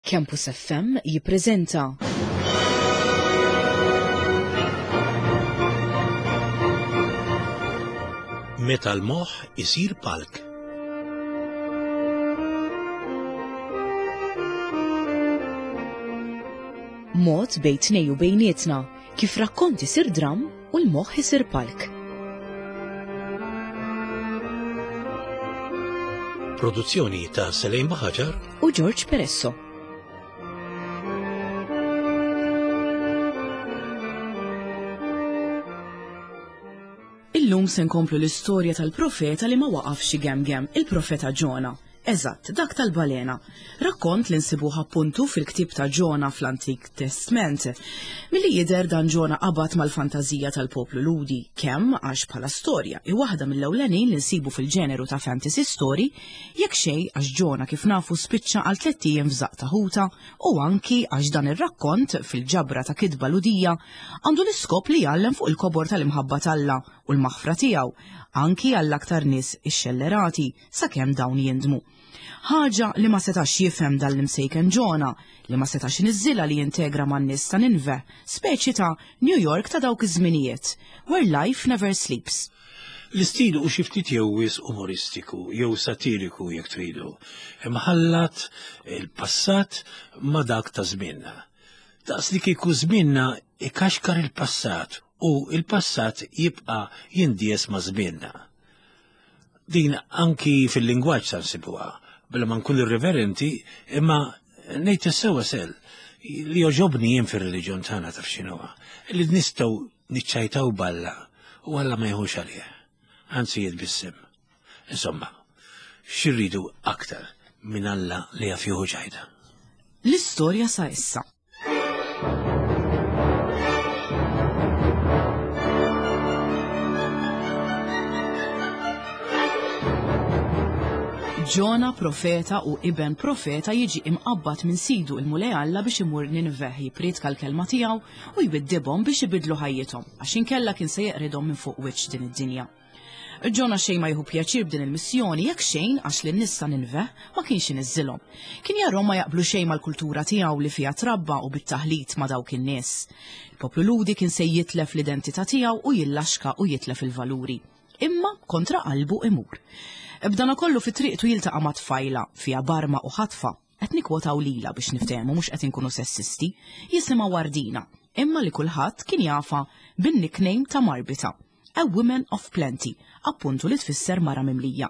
Campus FM jippreżenta. Meta l-moħħ isir palk. Mod bejn tnej u bejnietna kif rakkont isir dramm u l-moħħ isir palk. Produzzjoni ta' Selejn Baħaġar u George Peresso. Illum se nkomplu l-istorja tal-profeta li ma waqafx igemgem, il-profeta Ġona. Eżatt, dak tal-balena. Rakkont li nsibuh appuntu fil-ktieb ta' Ġona fl-Antik Testment. Milli jidher dan Ġona qabad mal-fantażija tal-poplu Lhudi, kemm għax bħala storja hi waħda mill-ewlenin li nsibu fil-ġeneru ta' fantasy story, jekk xejn għax Ġona kif nafu spiċċa għal tlett ijiem f'żaqq ta' ħuta u anki għax dan ir-rakkont fil-ġabra ta' kitba Lhudija għandu l-iskop li jgħallem fuq il-kobor tal-imħabba t'Alla u l-maħfra tiegħu anki għall-aktar nies ixxellerati sakemm dawn jindmu. Ħaġa li ma setax jifhem dan l-imsejken Ġona, li ma setax iniżżilha li jintegra man-nies ta' Ninve, speċi ta' New York ta' dawk iż-żminijiet, where life never sleeps. L-istil hu xi ftit jew wisq umoristiku, jew satiriku jekk tridu, imħallat il-passat ma' dak ta' żmienna. Daqs li kieku żmienna ikaxkar il-passat u il-passat jibqa' jindies ma' żmienna. Din anki fil-lingwaġġ sa nsibuha, bla ma nkun irriverenti, imma ngħid is-sewwa sel li jogħġobni jien fir-reliġjon tagħna taf x'inhuwa, li nistgħu niċċajtaw b'Alla u Alla ma jieħux għalih, anzi jitbissem. Insomma, x'irridu aktar minn Alla li jaf jieħu ċajta? L-istorja sa issa. Ġona profeta u iben profeta jiġi imqabbad minn sidu il-Mulej Alla biex imur Ninveh jippriedka l-kelma tiegħu u jwiddibhom biex ibiddlu ħajjithom għax inkella kien se jeqridhom minn fuq wiċċ din id-dinja. Ġona xejn ma jieħu pjaċir b'din il-missjoni jekk xejn għax lin-nies ta' Ninveh ma kienx iniżżilhom. Kien jarhom ma jaqblu xejn mal-kultura tiegħu li fiha trabba u bit-taħlit ma' dawk in-nies. Il-poplu Lhudi kien se jitlef l-identità tiegħu u jillaxka u jitlef il-valuri. Imma kontra qalbu imur. B'danakollu fi triqtu jiltaqa' ma' tfajla, fiha barma u ħatfa. Qed nikkwotaw lilha biex niftehmu mhux qed inkunu sessisti, jisimha Wardina, imma li kulħadd kien jafha bin-nickname ta' Marbita. A woman of plenty, appuntu li tfisser mara mimlija.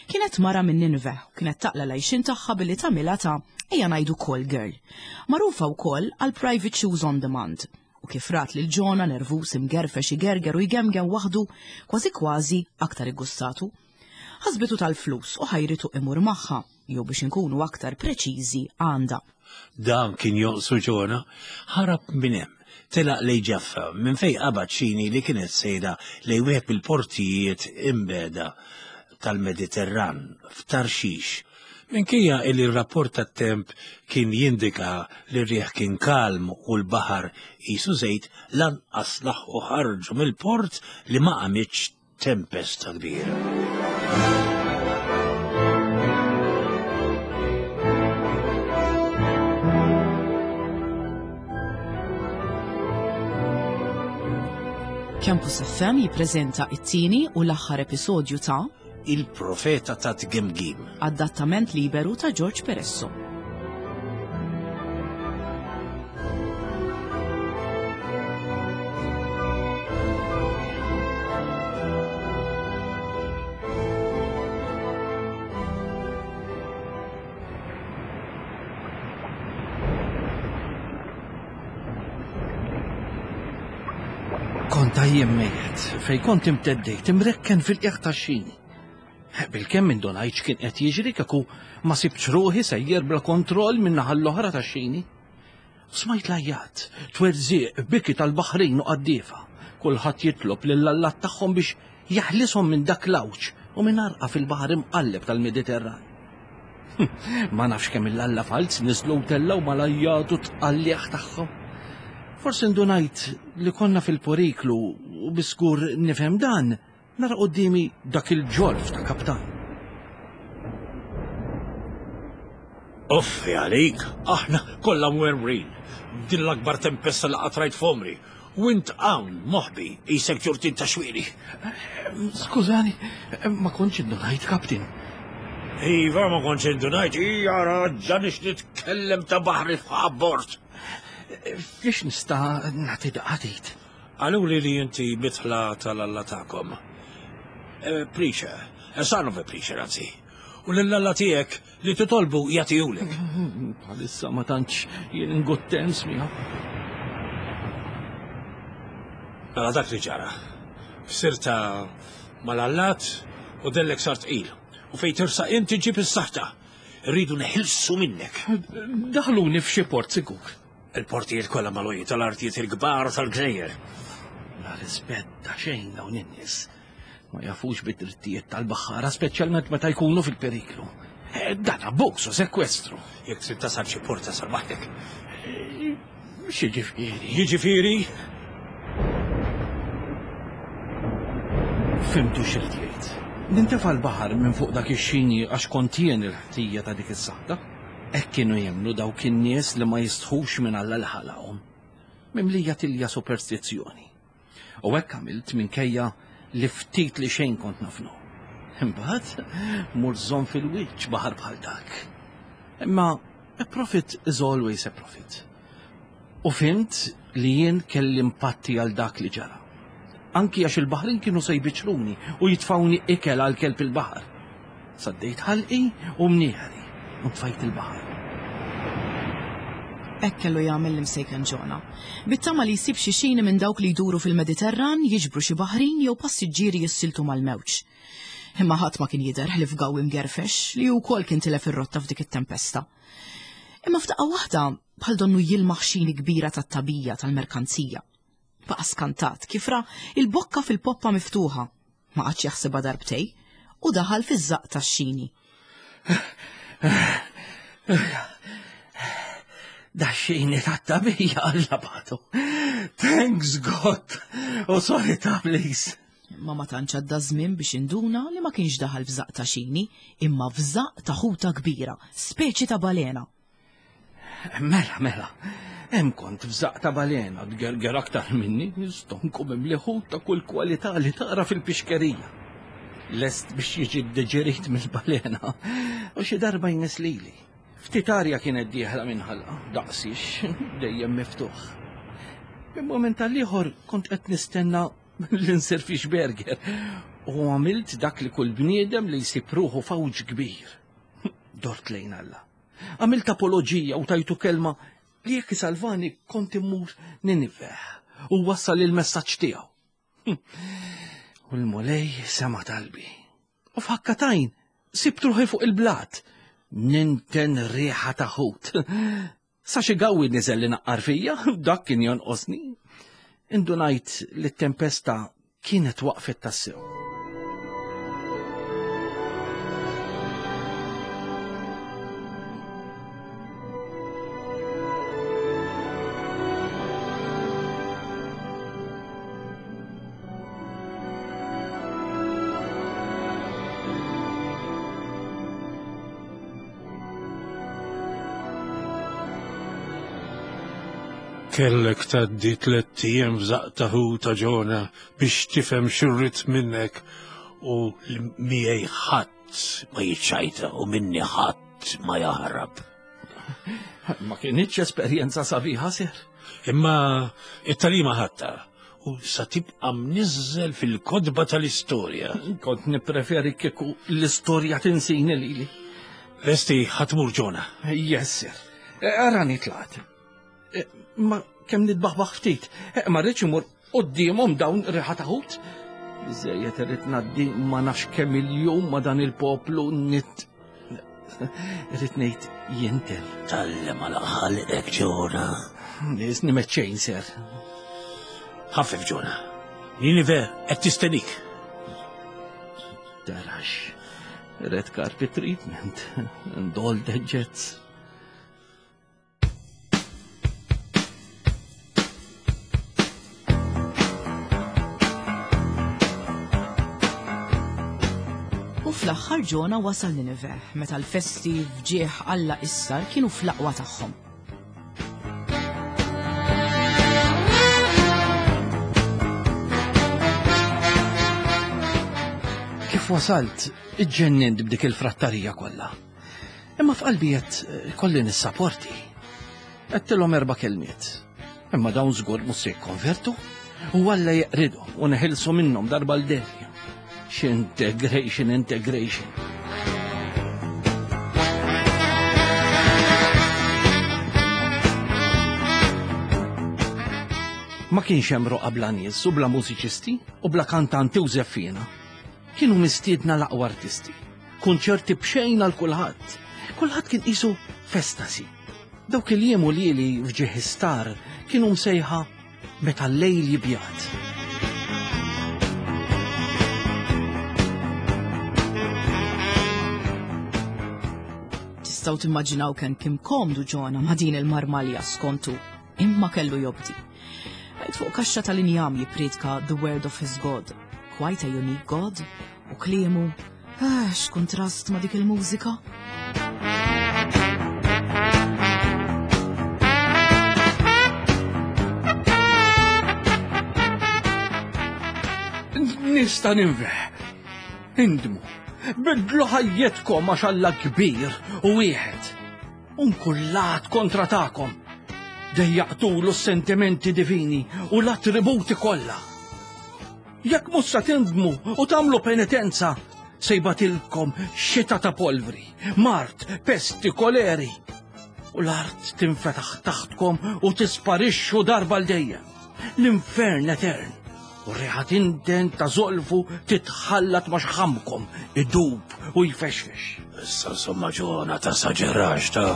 Kienet mara minn Nineveh u kienet taqla' l-għajxien tagħha billi tagħmilha ta' ejja ngħidu call girl. Magħrufa wkoll għal private shoes on demand. U kif rat lil Ġona nervuż imgerfex igerger u jgemgem waħdu, kważi kważi aktar iggustatu. Ħasbitu tal-flus u ħajritu imur magħha, jew biex inkunu aktar preċiżi għandha. Dan kien jonqsu Ġona, ħarab minn hemm, telaq lejn Ġaffa, minn fejn qabad xini li kienet sejra lejn wieħed mill-portijiet imbiegħda tal-Mediterran, f'Tarxix. Minkejja li r-rapport tat-temp kien jindika li r-riħ kien kalm u l-baħar qisu żejt, lanqas laħqu ħarġu mill-port li ma qamitx tempesta kbira. Campus FM jippreżenta it-tieni u l-aħħar episodju ta' Il-Profeta ta' Tgemgim. Adattament liberu ta' George Peresso. Kont għajjien mejjet, fejn kont imteddejt imrekken fil-qiegħ tax-xini. Bilkemm indunajt x'kien qed jiġri kieku ma sibtx ruħi sejjer bla kontroll min-naħa l-oħra tax-xini. Smajt l-għajjat, twerżiq, biki tal-baħrin u qaddiefa. Kulħadd jitlob lill-allat tagħhom biex jeħlishom minn dak l-għawġ u minn għarqa fil-baħar imqalleb tal-Mediterran. Ma nafx kemm il-alla falz niżlu u tellgħu mal-għajjat u tqalligħ tagħhom. Forsi ndunajt li konna fil-periklu u bi żgur nifhem dan Nara quddiemi dak il-ġorf ta' kaptan. Uffi għalik, aħna kollha mwerwrin. Din l-akbar tempesta li qatt rajt f'għomri. U int hawn moħbi qisek ġurtin ta' xwieri. Skużani, ma kontx indunajt, Kaptin. Iva, ma kontx indunajt, hija raġġa nix nitkellem ta' baħri f'abbord. Fiex nista' nagħti daqatit? Qaluli li inti mitħla tal-Alla tagħkom. Eh, preacher, eh, son of a preacher, anzi. U lill-Alla tiegħek li titolbu jagħtihulek. Bħalissa ma tantx jien in good terms miegħu. Mela dak li ġara. Sirta mal-allat u dellek sar tqil. U fejn tirsaq inti ġib is-saħta. Rridu neħilsu minnek. Daħluni f'xi port sigur. Il-portijiet kollha magħluqin tal-artijiet il-kbar tal-gżejjer. La rispett ta' xejn dawn in-nies. Ma jafux bid-drittijiet tal-baħħara, speċjalment meta jkunu fil-periklu. Eh, dan abbuż u sekwestru. Jekk trid tasal xi port tasal waħdek. Eh, x'jiġifieri? Jiġifieri? Fimtu x'irid jgħid. Nintefa' l-baħar minn fuq dak ix-xini għax kont jien il-ħtija ta' dik is-saħta. Hekk kienu jemmnu dawk in-nies li ma jistħux minn Alla li ħalaqhom, mimlija tilja superstizzjoni. U hekk għamilt minkejja li ftit li xejn kont nafnu. Imbagħad mur żomm fil-wiċċ baħar bħal dak. Imma a prophet is always a prophet. U fhimt li jien kelli mpatti għal dak li ġara. Anki għax il-baħrin kienu se jbiċċruni u jitfgħuni ikel għal kelb il-baħar. Saddejt ħalqi u mnieħri u ntfajt il-baħar. Hekk kellu jagħmel l-imsejken Ġona. Bit-tama li jsib xi xini minn dawk li jduru fil-Mediterran jiġbru xi baħrin jew passiġġieri jissiltu mal-mewġ. Imma ħadd ma kien jidher ħlief Gawwi mgerfex li hu wkoll kien tilef ir-rotta f'dik it-tempesta. Imma f'daqqa waħda bħal donnu jilmaħ xini kbira tat-tagħbija tal-merkanzija. Baqa' skantat kif ra il-bokka fil-poppa miftuħa. Ma qagħadx jaħsibha darbtej u daħal fiż-żaqq tax-xini. Dax-xini tat-tagħbija Alla bagħtu. Thanks God! U sorry ta' please. Imma ma tantx għadda żmien biex induna li ma kienx daħal f'żaqq ta' xini, imma f'żaqq ta' ħuta kbira, speċi ta' balena. Mela, mela, hemm kont f'żaqq ta' balena tgerger aktar minni, stonku mimli ħut ta' kull kwalità li tara fil-pixkerija. Lest biex jiġi ddeġerit mill-balena u xi darba jmiss lili. Ftit arja kienet dieħla minn ħalqa, daqsix, dejjem miftuħ. Minn mument għall-ieħor kont qed nistenna li nsir fish burger u għamilt dak li kull bniedem li jsib ruħu f'għawġ kbir. Dort lejn Alla. Għamilt apoloġija u tajtu kelma li jekk isalvani kont immur Niniveh u wassal il-messaġġ tiegħu. U l-Mulej sema talbi. U f'ħakkatajn sibt ruħi fuq il-blat. Ninten riħa ta' ħut. Sa xi gawwi niżel li naqqar fija, dak kien jonqosni. Indunajt li t-tempesta kienet waqfet tassew. Kellek tgħaddi tlett ijiem f'żaqq ta' ħuta Ġona biex tifhem x'irrid minnek u li miegħi ħadd ma jiċċajta u minni ħadd ma jaħrab. Ma kinitx esperjenza sabiħa, sir. Imma it-talima ħadtha u sa tibqa' mniżżel fil-kotba tal-istorja. Kont nippreferi kieku l-istorja tinsini lili. Lesti ħa tmur Ġona. Yes, sir. Eh, arani tlaqt. Eh, ma kemm nitbaħbaħ ftit. Eh, ma rridx imur quddiemhom dawn riħa ta' ħut. Biżejjed irrid ngħaddi ma nafx kemm il-jum ma dan il-poplu nit Irrid ngħid jinten. Talli ma laqħalqek Ġona. Nisni meċċejn ser. Ħaffef Ġona. Ninive qed tistenik. Tarax. Red carpet treatment. And all the jets. U fl-aħħar Ġona wasal Nineveh meta l-festi f'ġieħ Alla Issar kienu fl-aqwa tagħhom. Kif wasalt, iġġennint b'dik il-frattarija kollha. Imma f'qalbi qed eh, kolli nissaporti. Għedtilhom erba' kelmiet. Imma dawn żgur mhux se jikkonvertu u Alla jeqridhom u neħilsu minnhom darba l dejjem. X'integration, integration. Ma kienx hemm roqa bla nies u bla mużiċisti u bla kantanti u żeffiena. Kienu mistiedna l-aqwa artisti. Kunċerti b'xejn għal kulħadd. Kulħadd kien qisu f'estasi. Dawk il-jiem u lili f'ġieħ istar kienu msejħa meta l-lejl jibjad. Tistgħu timmaġinaw kemm kien komdu Ġona ma' din il-marmalja skontu, imma kellu jobdi. Għid fuq kaxxa tal-injam jippriedka the word of his God, quite a unique God, u kliemu, ah, x'kuntrast ma' dik il-mużika. Nista' ninveħ. Indmu. Bidlu ħajjetkom għax Alla kbir u wieħed. Unkullat kontra tagħkom. Dejjaqtulu s-sentimenti divini u l-attributi kollha. Jekk mhux sa tindmu u tagħmlu penitenza, se jbatilkom xita ta' polvri, mard, pesti, koleri. U l-art tinfetaħ taħtkom u tisparixxu darba l dejjem. L-infern etern. U r-riħa tinten ta' zolfu titħallat ma' xħamkom, idub u jfexfex. Issa insomma ġona ta' saġerax ta'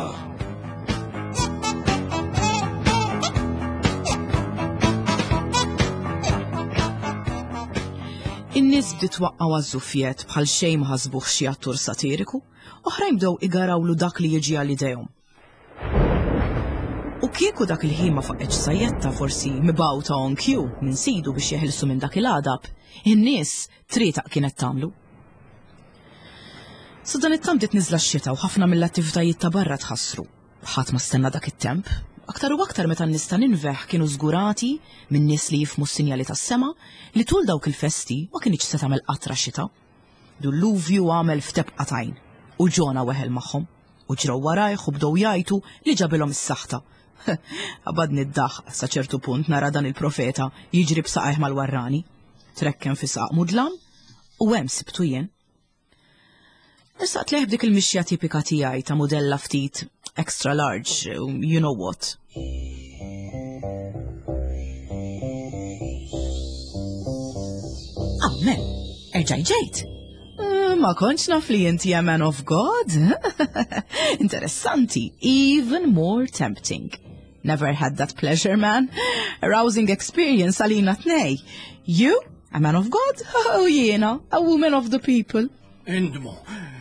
In-nies bdiet twaqqgħu għaż-żufjett bħal xejn ma ħasbuh xi attur satiriku, oħrajn bdew igarawlu dak li jiġi għal idejhom. U kieku dak il-ħin ma faqgħetx sajjetta forsi mibgħuta on cue minn sidu biex jeħilsu minn dak il-għadab, in-nies trietaq kienet tagħmlu. Sadanittant bdiet niżla x-xita u ħafna mill-attivitajiet ta' barra tħassru. Ħadd ma stenna dak it-temp, aktar u aktar meta n-nies ta' Ninveh kienu żgurati minn nies li jifhmu s-sinjali tas-sema li tul dawk il-festi ma kinitx se tagħmel qatra xita. Dulluvju għamel f'tebqa t'għajn u Ġona weħel magħhom u ġrew warajh u bdew jgħajtu li ġabilhom is-saħta. Qabadni d-daħq sa ċertu punt nara dan il-profeta jiġri b'saqajh mal-warrani. Trekken fi saq mudlam U hemm sibtu jien. Ersaqt lejh b'dik il-mixja tipika tiegħi ta' mudella ftit extra large, you know what. Amen, erġaj ġejt. Eh, ma kontx naf li inti a man of God. Interessanti, even more tempting. Never had that pleasure, man. Arousing experience għalina tnej. You, a man of God, u jiena, a woman of the people. Indmu,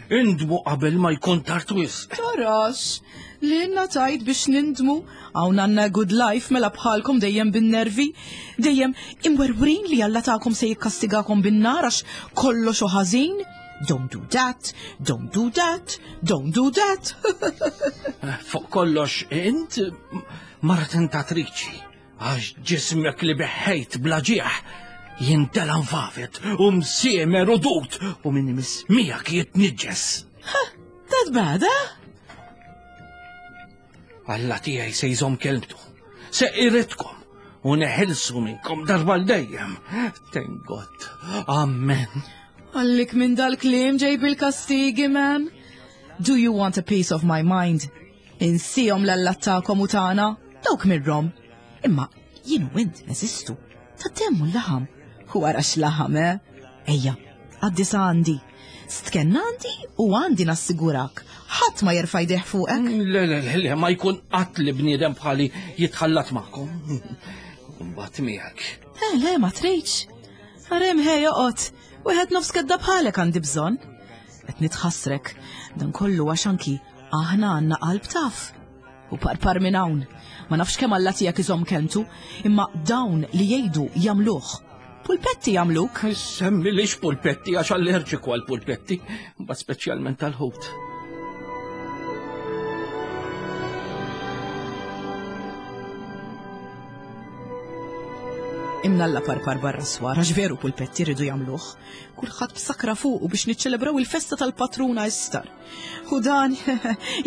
indmu qabel ma jkun tard wisq. Tarax, li tajt biex nindmu, hawn għandna good life mela bħalkom dejjem bin-nervi, dejjem imwerwrin li Alla tagħkom se jikkastigakom bin-nar għax kollox u ħażin. Don't do that, don't do that, don't do that. Eh, fuq kollox, int mara tentatriċi, għax ġismek li beħħejt bla ġieħ jintela nfafet u msiemer u dut u minn imiss miegħek jitniġġes. That bad, eh? Alla tiegħi se jżomm kelmtu, se iridkom u neħilsu minnkom darba l dejjem. Thank God. Amen. Għallik minn dal-kliem ġej bil-kastigi, man. Do you want a piece of my mind? Insihom l-allat tagħkom u tagħna, dawk mirrom. Imma jien u int neżistu. Ta' demm u l-laħam. U ara x'laħam, eh? Ejja, għaddi sa għandi. Stkenn għandi u għandi nassigurak. Ħadd ma jerfa' jdejh fuqek. Mm, le, le, le, le, ma jkun qatt li bniedem bħali jitħallat magħkom. Mbagħad miegħek. Eh, le, ma tridx. Arem ħej joqgħod. Wieħed nofs kedda bħalek għandi bżonn. Qed nitħassrek. Dan kollu għax anki aħna għandna qalb taf. U parpar minn hawn. Ma nafx kemm Alla tiegħek iżomm kelmtu, imma dawn li jgħidu jagħmluh. Pulpetti jagħmluk. Semmilix pulpetti għax allerġiku għal pulpetti, ma speċjalment tal-ħut. Imnalla parpar barra swar, għax veru pulpetti rridu jagħmluh. Kulħadd b'sakra fuqu biex niċċelebraw il-festa tal-patruna Istar. U dan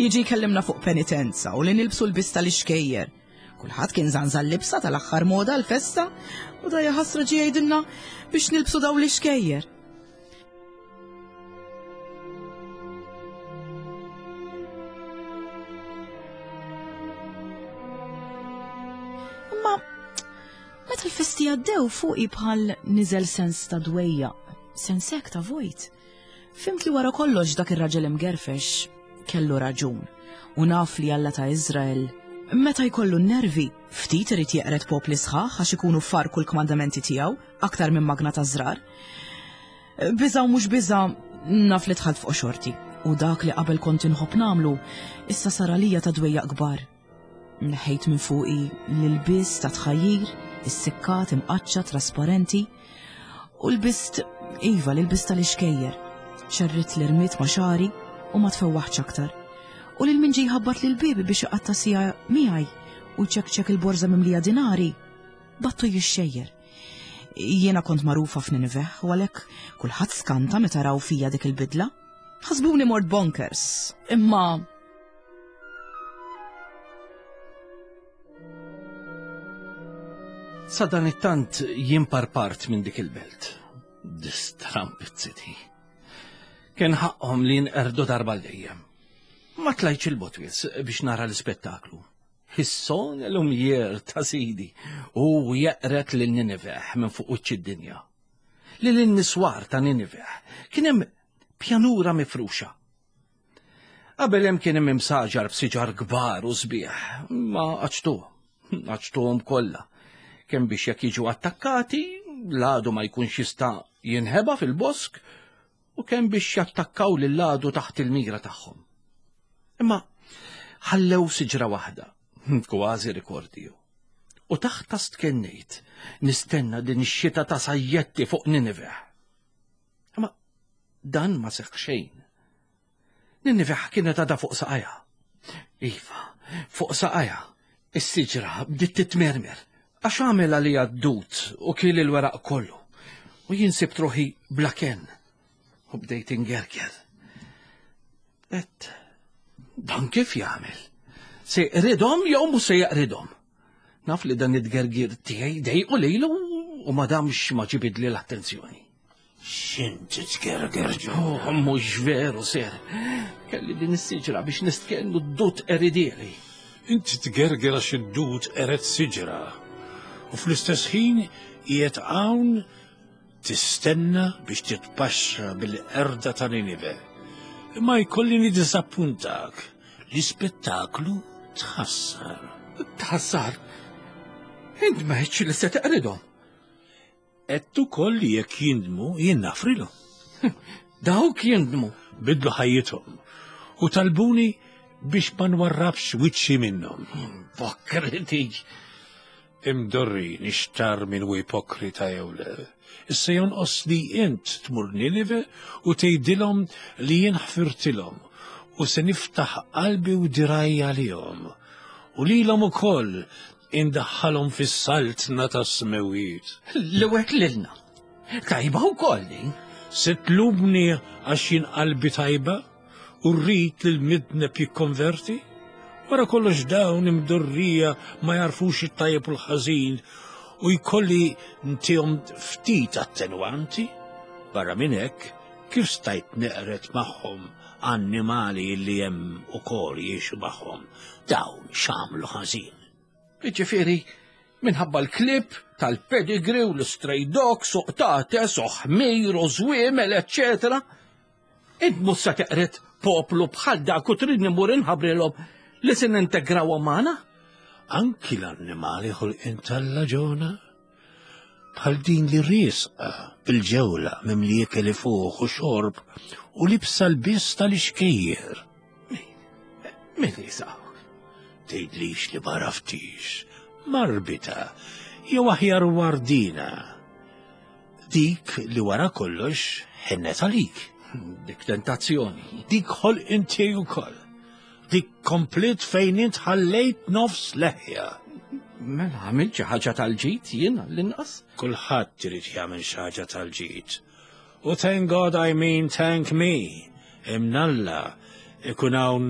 jiġi jkellimna fuq penitenza u li nilbsu l-bista tal-ixkejjer. Kulħadd kien żanżan libsa tal-aħħar moda l-festa u da jaħasra ġie jgħidilna biex nilbsu daw l-ixkejjer. Imma meta l-festi għaddew fuqi bħal niżel sens ta' dwejja, sens hekk ta' vojt. Fimt li wara kollox dak ir-raġel imgerfex kellu raġun u naf li Alla ta' Iżrael meta jkollu n-nervi ftit irid jeqred popli sħaħ għax ikunu farku l-kmandamenti tiegħu aktar minn magna ta' żrar. Biża' u mhux biża' naf li dħalt fuq xorti u dak li qabel kont inħobb nagħmlu issa sar għalija ta' dwejjaq kbar. Neħħejt minn fuqi l-ilbies ta' tħajjir, is-sikkat imqaċċa trasparenti u lbist iva l-ilbies tal-ixkejjer. Xerridt l-irmied ma' xagħri u ma tfewwaħtx aktar. U lil min ġie jħabbat lil biebi biex iqatta' siegħa miegħi u jċekċek il-borża mimlija dinari, battu jixxejjer. Jiena kont magħrufa f'Nineveh u għalhekk kulħadd skanta meta raw fija dik il-bidla. Ħasbuni mort bonkers, imma Sadanittant jien parpart minn dik il-belt. This Trumpet City. Kien ħaqhom li jinqerdu darba l dejjem. Ma tlajtx il-botwis biex nara l-ispettaklu. Hisson l-umjer ta' sidi u jeqret lil Nineveh minn fuq wiċċ id-dinja. Lil niswar ta' Nineveh kien hemm pjanura mifruxa. Qabel hemm kien hemm imsaġar b'siġar kbar u sbieħ, ma qaċtu, qaċtuhom kollha. Kemm biex jekk jiġu attakkati, l-għadu ma jkunx jista' jinħeba fil-bosk u kemm biex jattakkaw lill-għadu taħt il-mira tagħhom. Imma ħallew siġra waħda, kważi rikordiju. U taħta stkennejt nistenna din ix-xita ta' sajjetti fuq Nineveh. Imma dan ma seħħ xejn. Niniveh kienet għadha fuq saqajha. Iva, fuq saqajha. Is-siġra bdiet titmermer għax għamel għalija d-dud u kiel il-weraq kollu. U jien sibt ruħi bla kenn u bdejt ingerger. Et dan kif jagħmel? Se jqridhom jew mhux se jaqridhom? Naf li dan it-tgergir tiegħi dejqu lilu u ma damx ma ġibidli l-attenzjoni. X'inti tgerger ġo? Oh, mhux veru, ser. Kelli din is-siġra biex nistkennu d-dut eridieli. Inti tgerger għax id-dut eret siġra. U fl-istess ħin qiegħed hawn tistenna biex titpaxxa bil-qerda ta' Ninive. Imma jkolli niddiżappuntak. L-ispettaklu tħassar. Tħassar? Int ma li se teqridhom. Għedt ukoll li jekk jindmu jien nafrilhom. Dawk jindmu. Bidlu ħajjithom u talbuni biex ma nwarrabx wiċċi minnhom. Ipokriti! Imdorri nixtar min hu ipokrita jew le. Issa jonqos li int tmur Ninive u tgħidilhom li jien ħfirtilhom u se niftaħ qalbi u dirgħajja għalihom. U lilhom ukoll Indaħħalhom fis-saltna tas-smewwiet. Li wet lilna. Tajba wkoll din. Se tlumni għax jien qalbi tajba u rrid li l-midneb jikkonverti? Wara kollox dawn imdorrija ma jarfux it-tajjeb u l-ħażin u jkolli ntihom ftit attenwanti? Barra minn hekk, kif stajt neqred magħhom annimali li hemm ukoll jgħixu magħhom? Dawn x'għamlu ħażin? Jiġifieri, minħabba l-klieb tal-pedigree u l-stray dogs u qtates u ħmir u żwiemel, eċċetera. Int mhux se teqred poplu bħal dak u tridni mmur inħabbrilhom li se nintegrawhom magħna? Anki l-annimali ħolqien t'Alla Ġona. Bħal din li riesqa bil-ġewla mimli ikel ifuħ u xorb u libsa l-biss tal-ixkejjer. Min jisaw? Tgħidlix li ma raftix. Marbita, jew aħjar wardina. Dik li wara kollox ħennet għalik. Dik tentazzjoni. Dik ħol inti wkoll. Dik komplit fejn int ħallejt nofs leħja. Mela għamilt xi ħaġa tal-ġid jien l-inqas? Kulħadd irid jagħmel xi ħaġa tal-ġid. U thank God I mean thank me. Imnalla ikun hawn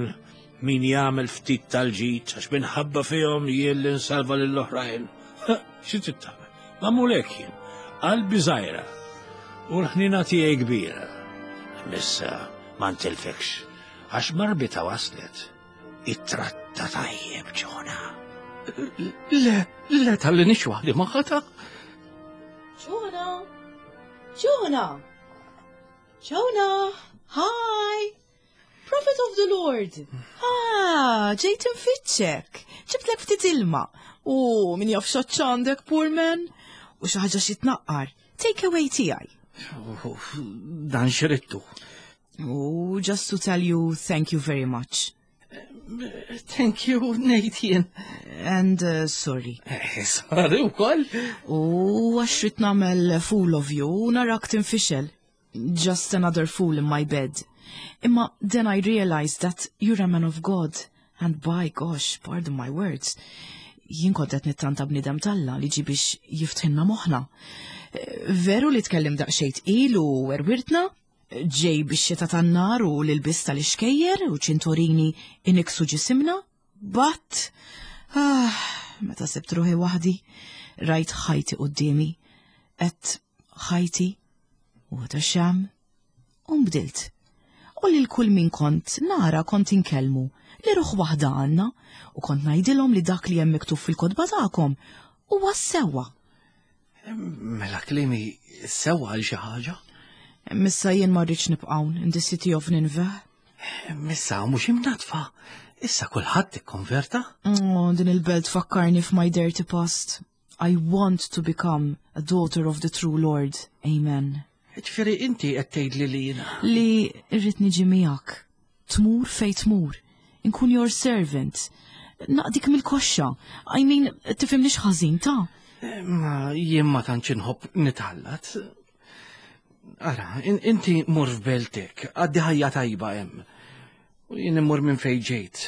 min jagħmel ftit tal-ġid għax minħabba fihom jien li nsalva lill-oħrajn. Xi trid tagħmel? Magħmul hekk jien. Qalbi żgħira u l-ħnina tiegħi kbira. Missa ma ntilfekx għax marbita waslet. Ittratta tajjeb ġona. Le, le tal-li nix waħdi maħata. Ġona! Ġona! Ġona! Hi! Prophet of the Lord! Ah, ġejt infittxek. Ġibtlek ftit ilma. U min jaf għandek, poor man. U xi ħaġa xi tnaqqar. Take away tiegħi. Dan xrittu. U just to tell you thank you very much. Thank you, ngħid jien. And uh, sorry. Eh, sorry wkoll. U għax rid nagħmel fool of you u narak tinfixel. Just another fool in my bed. Imma then I realized that you're a man of God. And by gosh, pardon my words, jien kont qed nittanta bniedem talla li ġi biex jiftħilna moħħna. Eh, veru li tkellim daqsxejn tqil u werwirtna, ġej bix-xita tan-nar u l-ilbies tal-ixkejjer u ċintorini iniksu ġisimna, but ah, meta sibt ruħi waħdi, rajt ħajti quddiemi, qed ħajti what a sham, u nbdilt. U lil kull min kont nara kont inkellmu li ruħ waħda għandna u kont ngħidilhom li dak li hemm miktub fil-kotba tagħkom huwa sewwa. Mela klimi sewwa għal xi ħaġa? Missa jien ma rridx nibqgħu in the city of Nineveh. Missa mhux imnatfa. Issa kulħadd ikkonverta? Oh, din il-belt fakkarni f'my dirty past. I want to become a daughter of the true Lord. Amen. Ġifieri inti qed tgħidli li jiena. Li rrid niġi miegħek. Tmur fej tmur. Inkun your servant. Naqdik mill-koxxa. I mean, tifhimnix ħażin ta' Ma jien ma tantx inħobb nitħallat. Ara, inti mur f'beltek, għaddi ħajja tajba hemm. U jien immur minn fejn ġejt.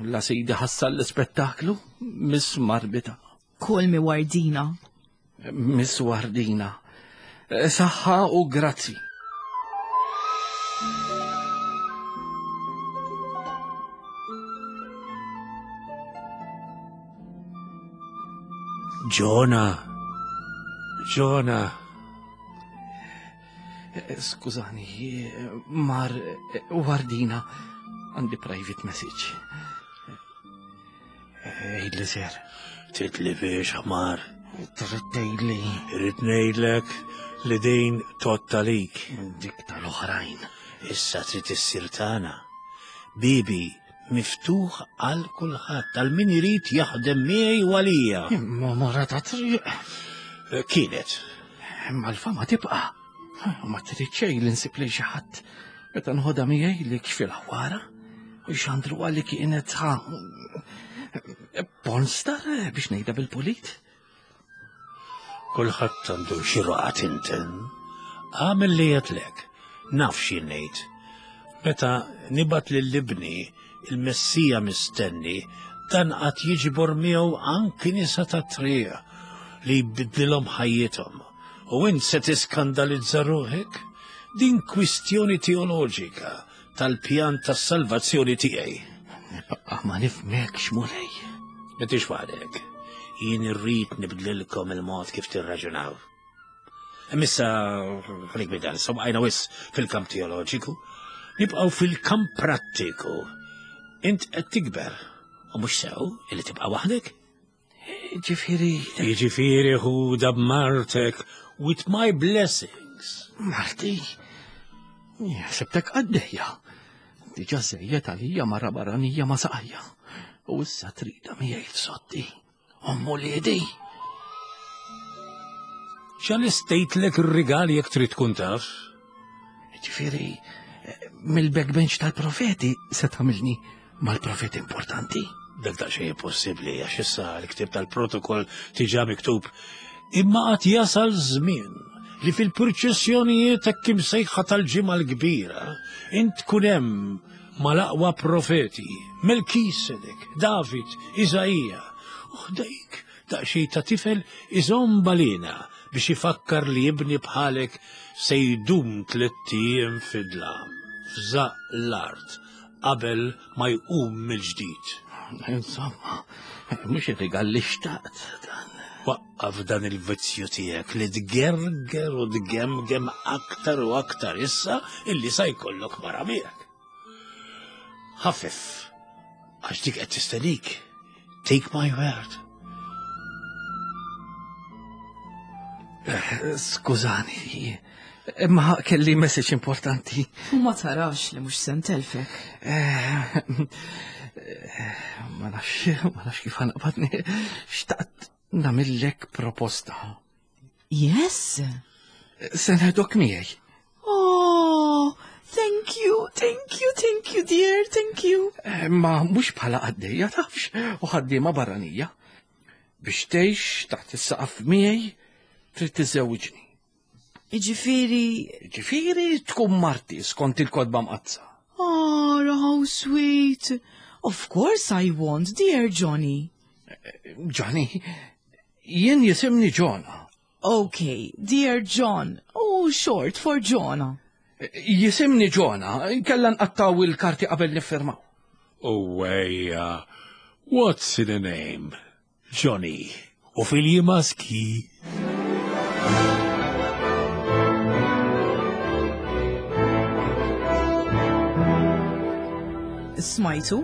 La sidi ħassal l-ispettaklu, miss marbita. Call me Wardina. Miss Wardina. Eh, saħħa u grazzi. Ġona. Ġona. Eh, skużani, eh, mar Wardina għandi private message. Għidli ser. Titlifix ħmar. Trid tgħidli. Irrid ngħidlek li din totta lik. Dik tal-oħrajn. Issa trid issir tagħna. Bibi miftuħ għal kulħadd, għal min irid jaħdem miegħi u għalija. Imma mara ta' triq. Eh, kienet. Imma l-fama tibqa'. Ma trid xejn li nsib lil xi ħadd meta nħodha miegħi li kxfi l-ħwara u xandru għalli kienet ħa pornstar biex ngħidha bil-pulit. Kulħadd għandu xi roqgħa tinten. Għamel li jgħidlek, naf xi ngħid. Meta nibgħat lil ibni il-Messija mistenni, dan qatt jiġbor miegħu anki nisa tat-triq li jbiddlilhom ħajjithom. U int se tiskandalizza ruħek? Din kwistjoni teoloġika tal-pjan tas-salvazzjoni tiegħi. Nibqa' ma nifhmekx, Mulej. M'intix waħdek. Jien irrid nibdlilkom il-mod kif tirraġunaw. Missa, ħalik minn dan, għajna wis fil-kamp teoloġiku, nibqgħu fil-kamp prattiku. Int qed tikber u mhux sew illi tibqa' waħdek. Ġifieri. Jiġifieri ħuda b'martek with my blessings. Marti? Ħsibtek għaddejja. Diġa żejjed għalija mara barranija ma saqajja. U issa trida miegħi f'sotti. Ommu liedi. X'għalistejtlek ir-rigal jekk trid tkun taf? Ġifieri, mill-backbench tal-profeti se tagħmilni mal-profeti importanti. Dak daqsxejn impossibbli għax issa l-ktieb tal-protokoll tiġa miktub. Imma qatt jasal żmien li fil-purċissjonijiet hekk imsejħa tal-Ġimgħa l-Kbira int tkun hemm mal-aqwa profeti, Melkisedek, David, Iżaija, u ħdejk daqsxejn ta' tifel iżomm balina biex ifakkar li ibni bħalek se jdum tlett ijiem fid-dlam, f'żaqq l-art, qabel ma jqum mill-ġdid. Insomma, mhux ir-rigal li xtaqt dan. Waqqaf dan il-vizzju tiegħek li tgerger u tgemgem aktar u aktar issa illi sa jkollok mara miegħek. Ħaffef, għax dik qed tistennik. Take my word. Eh, skużani, imma kelli message importanti. U ma tarax li mhux se ntelfek. Eh, eh, ma nafx, ma nafx kif ħanaqbadni. Xtaqt namillek proposta. Yes. Se neħdok miegħi. Oh, thank you, thank you, thank you, dear, thank you. Eh, ma mhux bħala qaddejja tafx u ħaddiema barranija. Biex tgħix taħt is-saqaf miegħi trid tiżewġni. Iġifieri. Iġifieri tkun marti skont il-kodba mqaddsa. Oh, how sweet. Of course I want, dear Johnny. Eh, Johnny, jien jisimni Jonah. Okay, dear John, oh short for Jonah. Jisimni Jonah, kella nqattaw il-karti qabel niffirmaw. Oh, wejja, what's in a name? Johnny, u filji maski. Smajtu?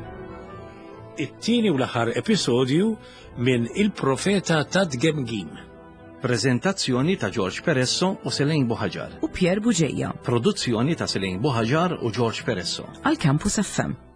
It-tieni u l-aħħar episodju minn Il-Profeta ta' Tgemgim. Preżentazzjoni ta' George Peresso u Selene Buhaġar. U Pierre Bugeja. Produzzjoni ta' Selene Buhaġar u George Peresso. Għal Campus FM.